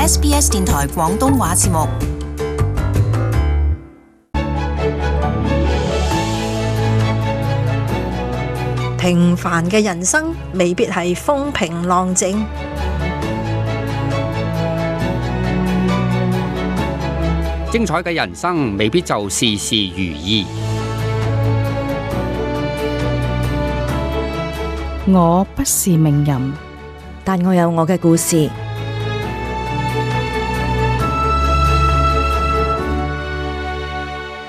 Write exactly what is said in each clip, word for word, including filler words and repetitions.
S B S 電台廣東話節目。平凡嘅人生未必係風平浪靜，精彩嘅人生未必就事事如意。我不是名人，但我有我嘅故事。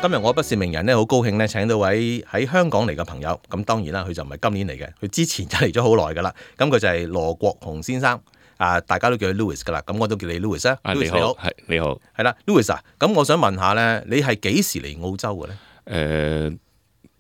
今日我不是名人咧，好高興咧請到位喺香港嚟嘅朋友。咁當然啦，佢就唔係今年嚟嘅，佢之前就嚟咗好耐噶啦。咁佢就係羅國雄先生，啊，大家都叫佢 Louis 噶啦。咁我都叫你 Louis 啊。Louis 你好，係你好，係啦 ，Louis 啊。咁我想問下咧，你係幾時嚟澳洲嘅咧？誒、呃，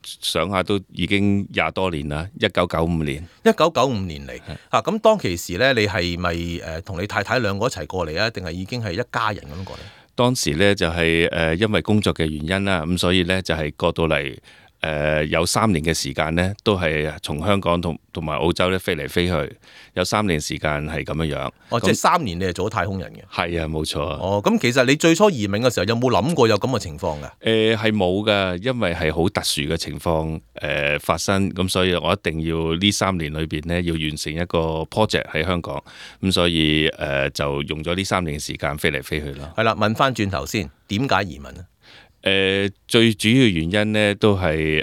想下都已經廿多年啦，一九九五年。一九九五年嚟嚇，咁當其時咧，你係咪誒同你太太兩個一齊過嚟啊？定係已經係一家人咁過嚟？當時咧就係誒因為工作嘅原因啦，咁所以咧就係過到嚟誒有三年嘅時間咧，都係從香港同同埋澳洲咧飛嚟飛去，有三年時間係咁樣樣。哦，即係三年你係做咗太空人嘅？係啊，冇錯。哦，咁其實你最初移民嘅時候有冇諗過有咁嘅情況㗎？誒係冇㗎，因為係好特殊嘅情況誒、呃、發生，咁所以我一定要呢三年裏邊咧要完成一個 project 喺香港，咁所以誒、呃、就用咗呢三年嘅時間飛嚟飛去咯。係啦，問翻轉頭先，點解移民咧？誒、呃、最主要原因咧都係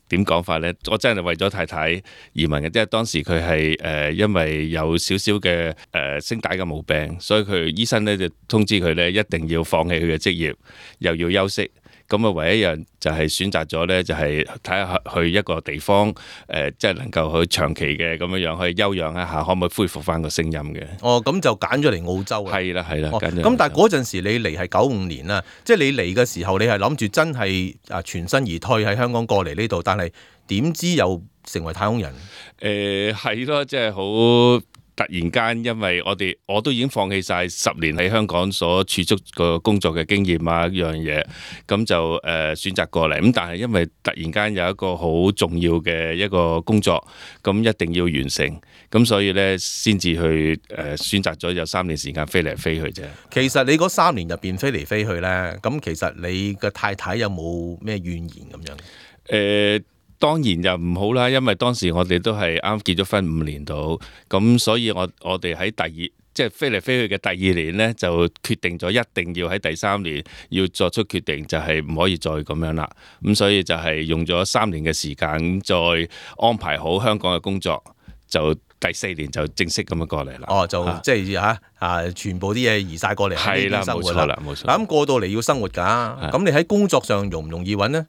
點講法咧？我真係為咗太太移民嘅，即係當時佢係誒因為有少少嘅誒聲帶嘅毛病，所以佢醫生咧就通知佢咧一定要放棄佢嘅職業，又要休息。咁啊，唯一一樣就係選擇咗咧，就係睇下去一個地方，誒、呃，即係能夠去長期嘅咁樣樣去休養一下，可唔可以恢復翻個聲音嘅？哦，咁就揀咗嚟澳洲啊！係啦，係啦，哦，揀咗。咁但係嗰陣時你嚟係九五年啦，即係你嚟嘅時候，你係諗住真係啊全身而退喺香港過嚟呢度，但係點知又成為太空人？誒係咯，即係好。突然間，因為我哋我都已經放棄晒十年喺香港所儲蓄個工作嘅經驗啊，一樣嘢，咁就誒、呃、選擇過嚟。咁但係因為突然間有一個好重要嘅一個工作，咁一定要完成，咁所以咧先至去誒、呃、選擇咗有三年時間飛嚟飛去啫。其實你嗰三年入邊飛嚟飛去咧，咁其實你嘅太太有冇咩怨言咁樣？誒、呃。當然就唔好啦，因為當時我哋都係啱結咗婚五年度，咁所以我我哋喺第二即係飛嚟飛去嘅第二年呢，就決定咗一定要喺第三年要作出決定，就係唔可以再咁樣啦。咁所以就係用咗三年嘅時間，再安排好香港嘅工作，就第四年就正式咁樣過嚟啦。哦，就即係嚇啊，全部啲嘢移晒過嚟喺呢邊生活啦。係啦，冇錯啦，冇錯。咁過到嚟要生活㗎，咁你喺工作上容唔容易揾呢？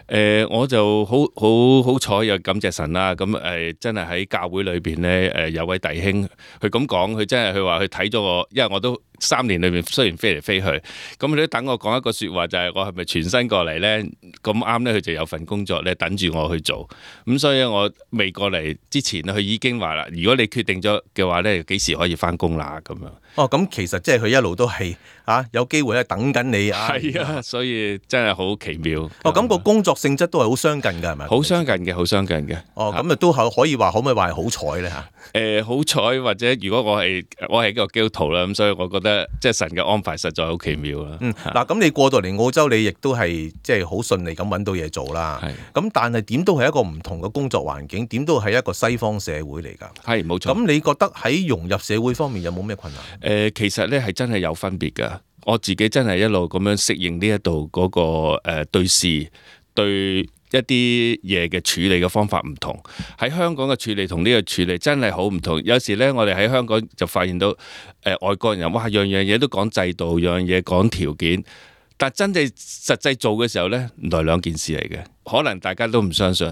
誒、呃、我就好好好彩，又感謝神啦！咁誒、呃、真係喺教會裏邊咧，誒、呃、有位弟兄，佢咁講，佢真係佢話佢睇咗我，因為我都三年裏面雖然飛嚟飛去，咁佢都等我講一個説話，就係、是、我係咪全身過嚟咧？咁啱咧，佢就有份工作咧等住我去做，咁所以我未過嚟之前，佢已經話啦，如果你決定咗嘅話咧，幾時可以翻工啦？咁樣。哦，咁其實即係佢一路都係啊，有機會咧等緊你啊。係啊，所以真係好奇妙。哦，咁個工作性質都係好相近㗎，係咪？好相近嘅，好相近嘅。哦，咁啊都係可以話，可唔可以話係好彩咧嚇？誒好彩，或者如果我係我係一個基督徒啦，咁所以我覺得即係神嘅安排實在好奇妙啦。嗯，嗱，咁你過到嚟澳洲，你亦都係即係好順利咁揾到嘢做啦。係。咁但係點都係一個唔同嘅工作環境，點都係一個西方社會嚟㗎。係冇錯。咁你覺得喺融入社會方面有冇咩困難？誒、呃，其實咧係真係有分別㗎。我自己真係一路咁樣適應呢一度嗰個誒、呃、對事對一啲嘢嘅處理嘅方法唔同。喺香港嘅處理同呢個處理真係好唔同。有時咧，我哋喺香港就發現到誒、呃、外國人哇，樣樣嘢都講制度，樣樣嘢講條件，但真正實際做嘅時候咧，原來兩件事嚟嘅。可能大家都唔相信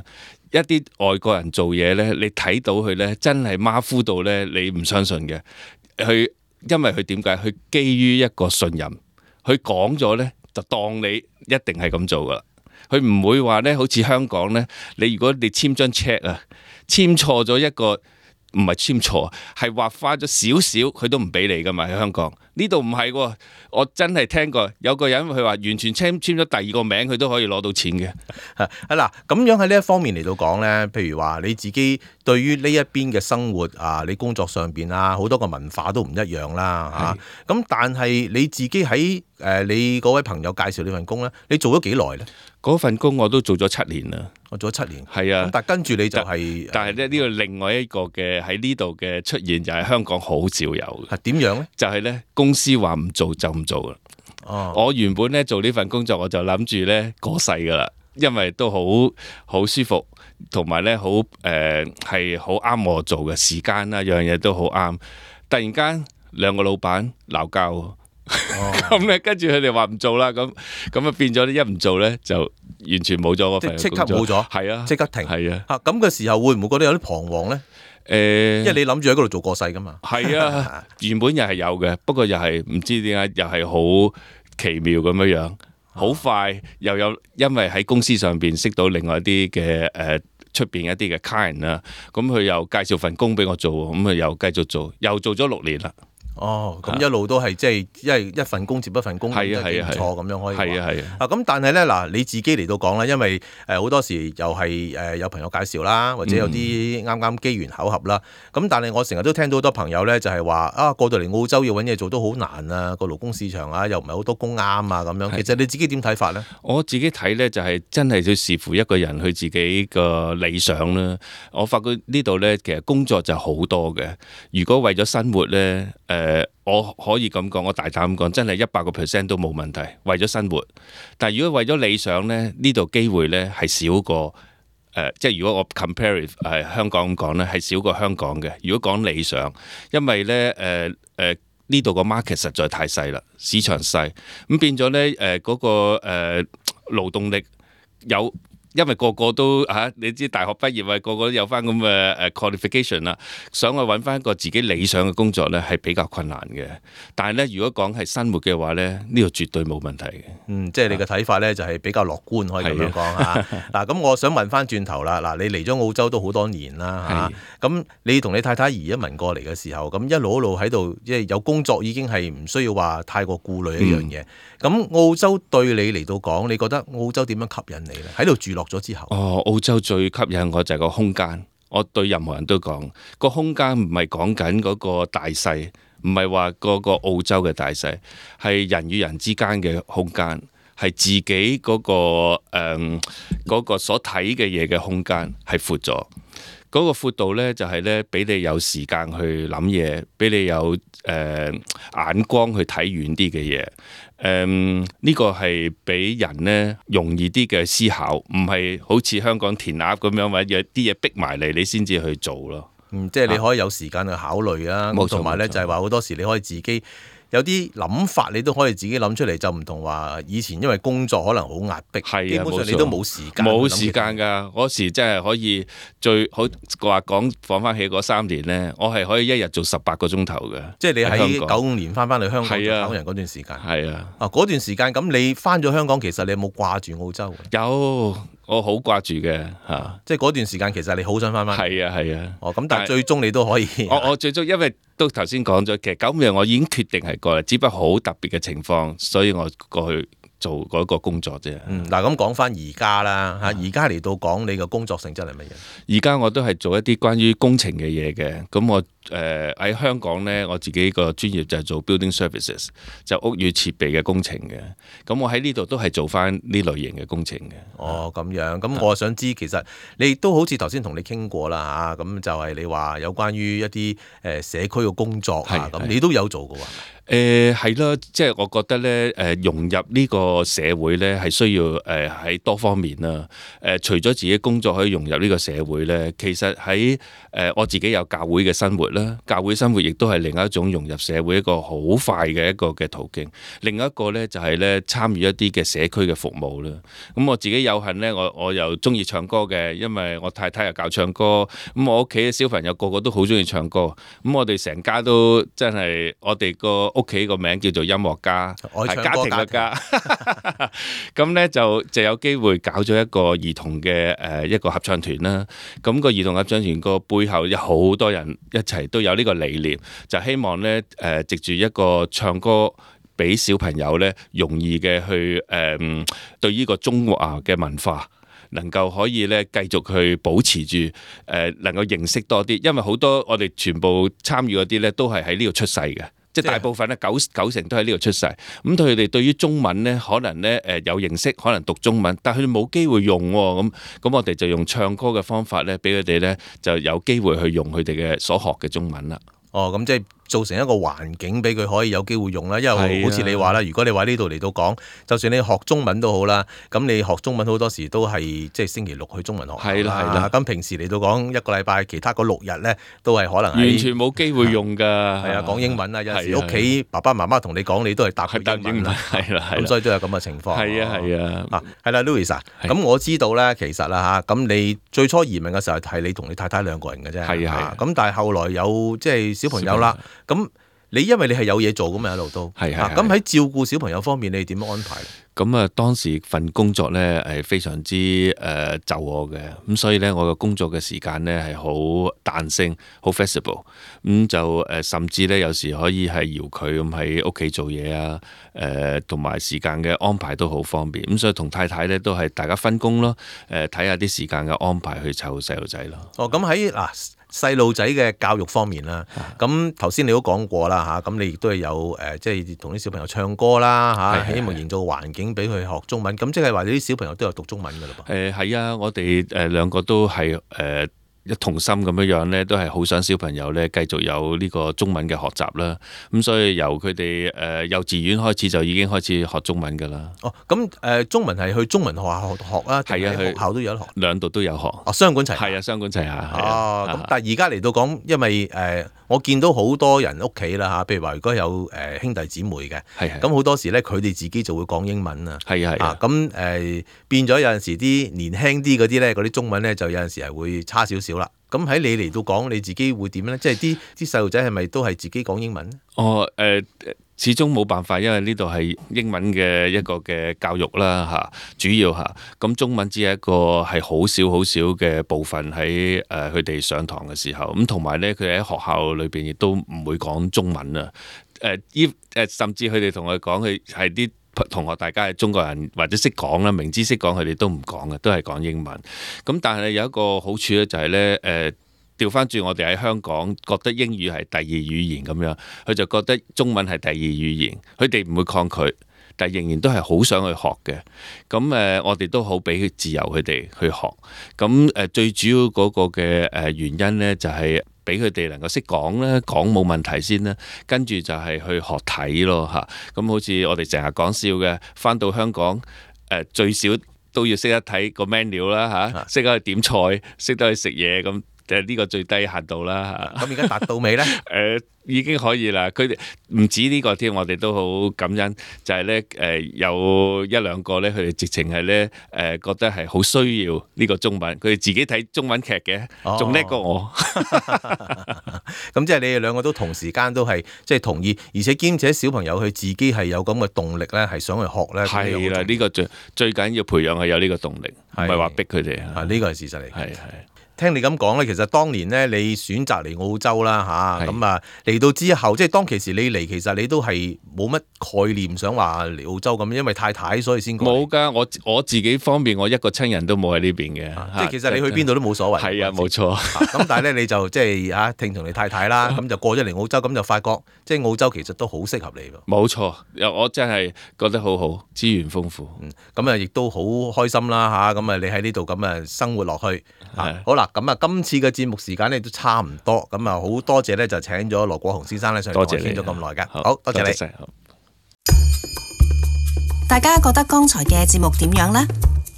一啲外國人做嘢咧，你睇到佢咧真係馬虎到咧，你唔相信嘅。佢因為佢點解？佢基於一個信任，佢講咗咧就當你一定係咁做噶啦。佢唔會話咧，好似香港咧，你如果你簽張 check 啊，簽錯咗一個唔係簽錯，係話花咗少少，佢都唔俾你噶嘛。喺香港呢度唔係喎，我真係聽過有個人佢話完全簽簽咗第二個名，佢都可以攞到錢嘅。啊嗱，咁樣喺呢一方面嚟到講咧，譬如話你自己對於呢一邊嘅生活啊，你工作上邊啊，好多個文化都唔一樣啦嚇。咁、啊、但係你自己喺誒、呃、你嗰位朋友介紹呢份工咧，你做咗幾耐咧？嗰份工我都做咗七年啦，我做咗七年。係啊，但係跟住你就係、是，但係咧呢個另外一個嘅喺呢度嘅出現就係香港好少有嘅。係點樣咧？就係咧公司話唔做就唔做啦。哦，我原本咧做呢份工作我就諗住咧過世噶啦，因為都好好舒服，同埋咧好誒係好啱我做嘅時間啦，樣嘢都好啱。突然間兩個老闆鬧交。咁咧，跟住佢哋話唔做啦，咁咁啊變咗一唔做咧，就完全冇咗個份工作，即即刻冇咗，係啊，即刻停，係啊。嚇咁嘅時候會唔會覺得有啲彷徨咧？誒、欸，因為你諗住喺嗰度做過世噶嘛。係啊，原本又係有嘅，不過又係唔知點解又係好奇妙咁樣樣，好快又有，因為喺公司上邊識到另外一啲嘅誒出邊一啲嘅 client 啦，咁佢又介紹份工俾我做，咁啊又繼續做，又做咗六年啦。哦，咁一路都係即係，因為一份工接一份工，都幾唔錯咁樣可以。係啊係啊。啊咁，但係咧嗱，你自己嚟到講啦，因為誒好多時又係誒有朋友介紹啦，或者有啲啱啱機緣巧合啦。咁但係我成日都聽到好多朋友咧，就係話啊過到嚟澳洲要揾嘢做都好難啊，個勞工市場啊又唔係好多工啱啊咁樣。其實你自己點睇法咧？我自己睇咧就係真係要視乎一個人佢自己個理想啦。我發覺呢度咧其實工作就好多嘅，如果為咗生活咧誒。誒，我可以咁講，我大膽咁講，真係一百個 percent 都冇問題，為咗生活。但係如果為咗理想咧，呢度機會咧係少過誒、呃，即係如果我 compare 誒、呃、香港咁講咧，係少過香港嘅。如果講理想，因為咧誒誒呢度個 market 實在太細啦，市場細，咁變咗咧誒嗰個誒、呃、勞動力有。因為個個都嚇、啊，你知大學畢業啊，個個都有翻咁嘅誒 qualification 啦，想去揾翻一個自己理想嘅工作咧，係比較困難嘅。但係咧，如果講係生活嘅話咧，呢個絕對冇問題嘅。嗯，即係你嘅睇法咧，就係比較樂觀，可以咁樣講嚇。嗱，咁我想問翻轉頭啦，嗱，你嚟咗澳洲都好多年啦嚇，咁你同你太太移咗民過嚟嘅時候，咁一路一路喺度，即係有工作已經係唔需要話太過顧慮一樣嘢。咁、嗯、澳洲對你嚟到講，你覺得澳洲點樣吸引你咧？喺度住落咗之後，哦，澳洲最吸引我就係個空間。我對任何人都講，個空間唔係講緊嗰個大細，唔係話嗰個澳洲嘅大細，係人與人之間嘅空間，係自己嗰、嗰個誒嗰、嗯嗰個所睇嘅嘢嘅空間係闊咗。嗰、嗰個闊度咧就係咧俾你有時間去諗嘢，俾你有誒、呃、眼光去睇遠啲嘅嘢。誒、嗯、呢、呢個係俾人咧容易啲嘅思考，唔係好似香港填鴨咁樣，或者有啲嘢逼埋嚟，你先至去做咯。嗯，即係你可以有時間去考慮啊。同埋咧就係話好多時你可以自己有啲諗法，你都可以自己諗出嚟，就唔同話以前因為工作可能好壓迫，係啊，基本上你都冇時間，冇時間㗎。嗰時真係可以最好話講放翻起嗰三年咧，我係可以一日做十八個鐘頭嘅。即係你喺九五年翻翻去香港做考人嗰段時間，係啊，啊嗰段時間咁你翻咗香港，其實你有冇掛住澳洲？有。我好掛住嘅嚇，即係嗰段時間其實你好想翻翻。係啊係啊。哦，咁但係最終你都可以。我我最終因為都頭先講咗，其實九五年我已經決定係過嚟，只不過好特別嘅情況，所以我過去做嗰個工作啫。嗯，嗱咁講翻而家啦嚇，而家嚟到講你嘅工作性質係乜嘢？而家我都係做一啲關於工程嘅嘢嘅，咁我誒喺、呃、香港咧，我自己個專業就係做 building services，就屋宇設備嘅工程嘅。咁我喺呢度都係做翻呢類型嘅工程嘅。哦，咁樣，咁我想知其實你都好似頭先同你傾過啦嚇，咁就係你話有關於一啲誒社區嘅工作啊，咁你都有做嘅喎。誒係啦，即係我覺得咧，誒融入呢個社會咧係需要誒喺多方面啦。誒除咗自己工作可以融入呢個社會咧，其實喺誒我自己有教會嘅生活啦，教會生活亦都係另一種融入社會一個好快嘅一個嘅途徑。另一個咧就係咧參與一啲嘅社區嘅服務啦。咁我自己有幸咧，我我又中意唱歌嘅，因為我太太又教唱歌。咁我屋企嘅小朋友個個都好中意唱歌。咁我哋成家都真係，我哋個屋企個名叫做音樂家，係家庭嘅家。咁咧就就有機會搞咗一個兒童嘅誒一個合唱團啦。咁個兒童合唱團個背後有好多人一齊都有呢個理念，就希望咧誒藉住一個唱歌，俾小朋友咧容易嘅去誒、呃、對呢個中華嘅文化能夠可以咧繼續去保持住誒、呃、能夠認識多啲，因為好多我哋全部參與嗰啲咧都係喺呢度出世嘅。即係大部分咧九九成都喺呢度出世，咁佢哋對於中文咧可能咧誒有認識，可能讀中文，但係佢哋冇機會用喎，咁咁我哋就用唱歌嘅方法咧，俾佢哋咧就有機會去用佢哋嘅所學嘅中文啦。哦，咁即係造成一個環境俾佢可以有機會用啦，因為好似你話啦，如果你話呢度嚟到講，就算你學中文都好啦，咁你學中文好多時都係即係星期六去中文學校啦，係啦係啦，咁平時嚟到講一個禮拜，其他嗰六日咧都係可能完全冇機會用㗎，係啊，講英文啊，有時屋企爸爸媽媽同你講，你都係答佢英文啦，係啦，咁所以都有咁嘅情況。係啊係啊，啊係啦 ，Louis 啊，咁我知道咧，其實啦嚇，咁你最初移民嘅時候係你同你太太兩個人嘅啫，係啊，咁但係後來有即係小朋友啦。咁你因為你係有嘢做㗎嘛，一路都係係。咁喺照顧小朋友方面，你點樣安排咧？咁啊，當時份工作咧係非常之誒就我嘅，咁所以咧我嘅工作嘅時間咧係好彈性，好 flexible。咁就誒甚至咧有時可以係搖佢咁喺屋企做嘢啊，誒同埋時間嘅安排都好方便。咁所以同太太咧都係大家分工咯，誒睇下啲時間嘅安排去湊細路仔咯。哦，咁喺嗱。細路仔嘅教育方面啦，咁頭先你都講過啦嚇，咁你亦都係有誒，即係同啲小朋友唱歌啦嚇，希望營造環境俾佢學中文，咁即係話你啲小朋友都有讀中文㗎嘞噃。誒係啊，我哋誒兩個都係誒。呃一同心咁樣樣咧，都係好想小朋友咧繼續有呢個中文嘅學習啦。咁所以由佢哋誒幼稚園開始就已經開始學中文㗎啦。哦，咁誒中文係去中文學校學啊，係啊，學校都有得學，兩度都有學。哦，雙管齊係啊，雙管齊下。哦，咁但係而家嚟到講，因為誒我見到好多人屋企啦嚇，譬如話如果有誒兄弟姊妹嘅，係咁好多時咧佢哋自己就會講英文啊。係啊係啊。咁誒變咗有陣時啲年輕啲嗰啲咧，嗰啲中文咧就有陣時係會差少少啦。咁喺你嚟到講你自己會點咧？即係啲啲細路仔係咪都係自己講英文咧？哦，誒、呃，始終冇辦法，因為呢度係英文嘅一個嘅教育啦，嚇，主要嚇。咁中文只係一個係好少好少嘅部分喺誒佢哋上堂嘅時候。咁同埋咧，佢哋喺學校裏邊亦都唔會講中文啊。誒依誒，甚至佢哋同我講，佢係啲同學大家係中國人或者識講啦，明知識講佢哋都唔講嘅，都係講英文。咁但係有一個好處咧，就係咧誒調翻轉，我哋喺香港覺得英語係第二語言咁樣，佢就覺得中文係第二語言，佢哋唔會抗拒，但係仍然都係好想去學嘅。咁誒，我哋都好俾佢自由佢哋去學。咁誒最主要嗰個嘅誒原因咧，就係俾佢哋能夠識講咧，講冇問題先啦，跟住就係去學睇咯嚇。咁好似我哋成日講笑嘅，返到香港誒、呃、最少都要識得睇個 menu 啦嚇，識得去點菜，識得去食嘢咁，誒呢個最低限度啦嚇。咁而家達到未咧？誒、呃。已經可以啦，佢哋唔止呢個添，我哋都好感恩，就係咧誒有一兩個咧，佢哋直情係咧誒覺得係好需要呢個中文，佢哋自己睇中文劇嘅，仲叻過我。咁即係你哋兩個都同時間都係即係同意，而且兼且小朋友佢自己係有咁嘅動力咧，係想去學咧。係啦，呢個最最緊要培養係有呢個動力，唔係話逼佢哋啊。呢個係事實嚟。係係。聽你咁講咧，其實當年咧你選擇嚟澳洲啦嚇，咁啊嚟到之後，即係當其時你嚟，其實你都係冇乜概念想話嚟澳洲咁，因為太太所以先過嚟。冇㗎，我我自己方面，我一個親人都冇喺呢邊嘅，即係其實你去邊度都冇所謂。係啊，冇錯。咁但係咧，你就即係嚇聽從你太太啦，咁就過咗嚟澳洲，咁就發覺即係澳洲其實都好適合你喎。冇錯，我真係覺得好好，資源豐富。嗯，咁啊亦都好開心啦嚇，咁啊你喺呢度咁啊生活落去。好啦，咁啊今次嘅節目時間咧都差唔多，咁啊好多謝咧就請咗羅國雄先生咧上嚟同我傾咗咁耐㗎，好多謝你。大家覺得剛才嘅節目點樣呢？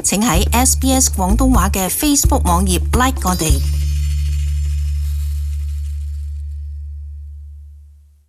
請喺 S B S 廣東話嘅 Facebook 網頁 like 我哋。